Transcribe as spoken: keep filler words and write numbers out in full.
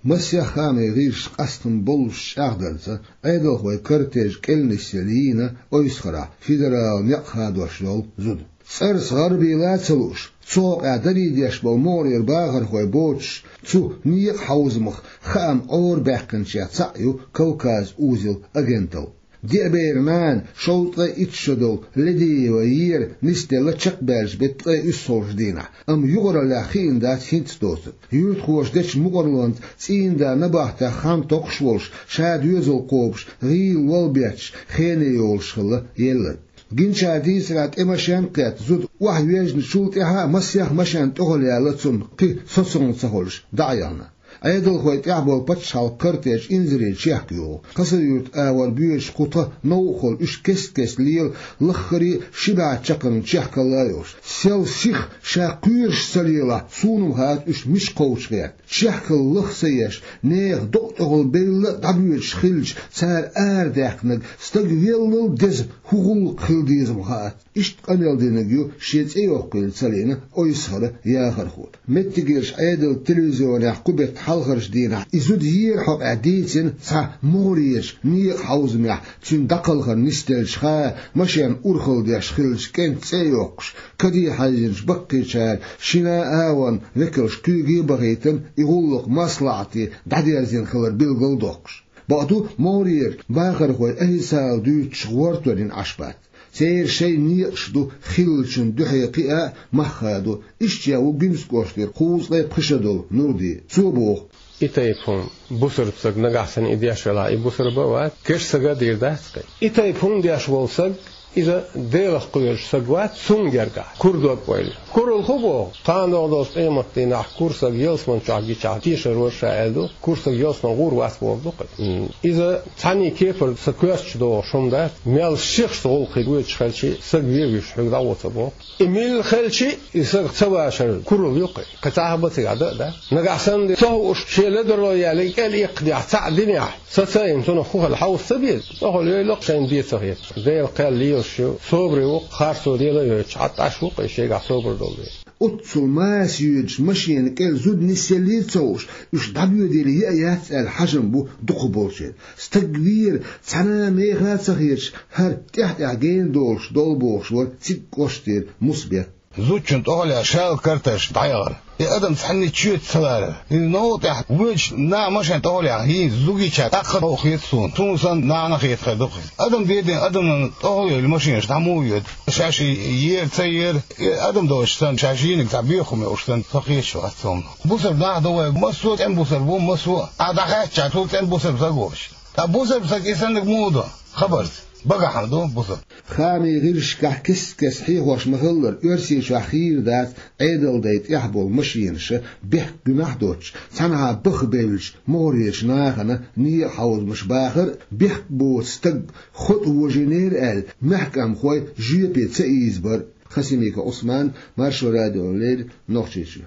Масех хаамийн гӀирсаша къаьстина боллушехь чӀагӀдарца, Ӏедалхойн кортеж кӀел нисъелла йийна Ойсхарахь федералан некъ хадош йолу зуда. ЦӀарца гӀарабийла а ца лууш, цу хьокъехь дарий деш болу могӀарера бахархой боцуш, цу некъан хьовзамах хаам Ӏорабаьккхинчех цхьаъ ю Кавказ узел агенталла. Деа бер нана шовзткъе итт шо долу Ледиева Вера нисделла чекхбаьллачу беттан ткъе уьссалгӀачу дийнахь, амма юкъараллехь хиъна дац хӀинцца доцург. Юьртахоша дечу мукъарлонца цӀийнан да набахтех хан токхуш волуш, ша доьзал кхобуш, гӀийла лол бетташ, хене йолуш хилла елларг. Гиначара дийцарехь, тӀе машен а кхетта, зуда охьавоьжначул тӀаьхьа а масех машен тӀехула яьлла цунна, кхин соцалла ца хуьлуш, дӀа а яхна. Ӏедалхойн тӀехь болу пачхьалкхан кортеж инзаре чехка йогӀу. Хасавюрт агӀор боьдуш кху тхан новкъахула уьш кест-кеста лела, лаххара а ши бӀе чаккхарма чехкалла а йолуш. Сел сиха ша кхоьруш ца лелахь, суна-м хаьа уьш мича кхочуш гӀерта. Чехкалла лаха ца еш, нехан докъа тӀехула белла а дӀабоьдуш хилча, цара арадаьккхинарг стаг веллал деза хӀун гӀуллакх хила деза-м хаьа. Иштта къамел динарг ю шен цӀе йоккхийла ца лиъна Ойсхара яхархо. Меттигерчу Ӏедалан телевизионехь кху беттан хьалхарчу дийнахь и зуда еара хьокъехь дийцина цхьа могӀарерчу некъан хьовзамехь цуьнан дӀакхалхар нисделлачу хаа машен урхалла деш хиллачу кӀентан цӀе а йоккхуш, каде хьаьжжинчу баккхийчара шина а агӀонан векалш куьйга а бахийтина, и гӀуллакх маслаӀате дӀадерзийна хилар билгал а доккхуш. Бакъду, могӀарера бахархой официалан дуьйцучух гӀортор йина Ӏаш бац. Церан шайн некъаш ду хиллачун дуьхьа кхиа а, мах хадо. Иштта ву Гуьмсан кӀоштара кхузткъе пхи шо долу Нурди. Цо боху: И тайпа хӀума, бусалба стаг нагахь санна и деш велахь, и бусалба а вац, керста стага а дийр дац-кх. И тайпа хӀума деш волу стаг, иза Делах кхоьруш стаг вац, цунна гергахь кура дог-ойла. Куралла хӀун боху? Кхана догӀу долчу къематдийнахь кура стаг ялсамани чохь гичахь, тешар вара ша аьлла ду, кура стаг ялсамани гӀур вац бохург ду-кх. М, иза цхьаьнний кепара сан коьртачу догӀуш хӀума дац, мел сихха гӀуллакх хир воьдуш хилча, стаг вен вуьйш хьоьга дӀавоцур боху. И милла хилча, и стаг ца вашар куралла ю-кх. Кхин цхьа а бан цигахь дан а дац. Нагахь санна ца хууш, шен ледарло яьлла кӀел иккхадехь, цхьаъ динехь, саца а йина, цунах хӀун хила хьовса ца беза. ЦӀахула йойла-кх шайна бен ца хеташ. Делан кхел лелаш ю, собаре ву-кх, харцо лела а йойтуш, хьатта Ӏаш ву-кх и шегахь собар долу дела. Оццул маса йоьдучу машенан кӀел зуда нисъеллий а ца хууш, уьш дӀабоьдийла яа яц аьлла хьажам бу дукхахболчеран. Стаг вер цхьана а меха а ца хеташ, хӀара тӀаьхь-тӀаьхьа гена долуш долу бохуш вара цига кӀоштара Мусабек. Зудчун тӀехула шалха карташ дӀаяхара. И адам цхьанний чоьта ца ларара. И новкъа тӀехь воьдуш наха машен тӀехула яхна, хӀинца зудчуьнца тӀаккха а новкъа хета суна. Суна санна нахана хетахь ду-кх иза. Адам дедина адамна тӀехула йолу машенаш дӀа муха йоьду? Шаьш и ера, ца ера, и адам доцуш санна, шаьш йийнарг цхьа боьха хӀума йолуш санна, со хеташ вац цунах. Бусалба нах ду вай, массо а цӀена бусалба ву, массо а. Ахьа дӀахаьттича, цул цӀена бусалба стаг воцуш. Ткъа бусалба стаг и саннарг муха до? Хабарца. Багахь ма ду бусалба. Хаамийн гӀирсашкахь кест-кеста хьехош ма-хиллара, Оьрсийчохь хийра дац Ӏедалан дай тӀехь болу машенаш бехк гуьнахь а доцуш, цхьанхьа баха бевллачу могӀарерчу нахана некъан хьовзамаш бахар а, бехк боцу стаг хӀоттавожийнера аьлла, мехкамхой жоьпе ца ийзабар а. Хасимиков Ӏусман, Маршо радиона леррина, Нохчийчоь.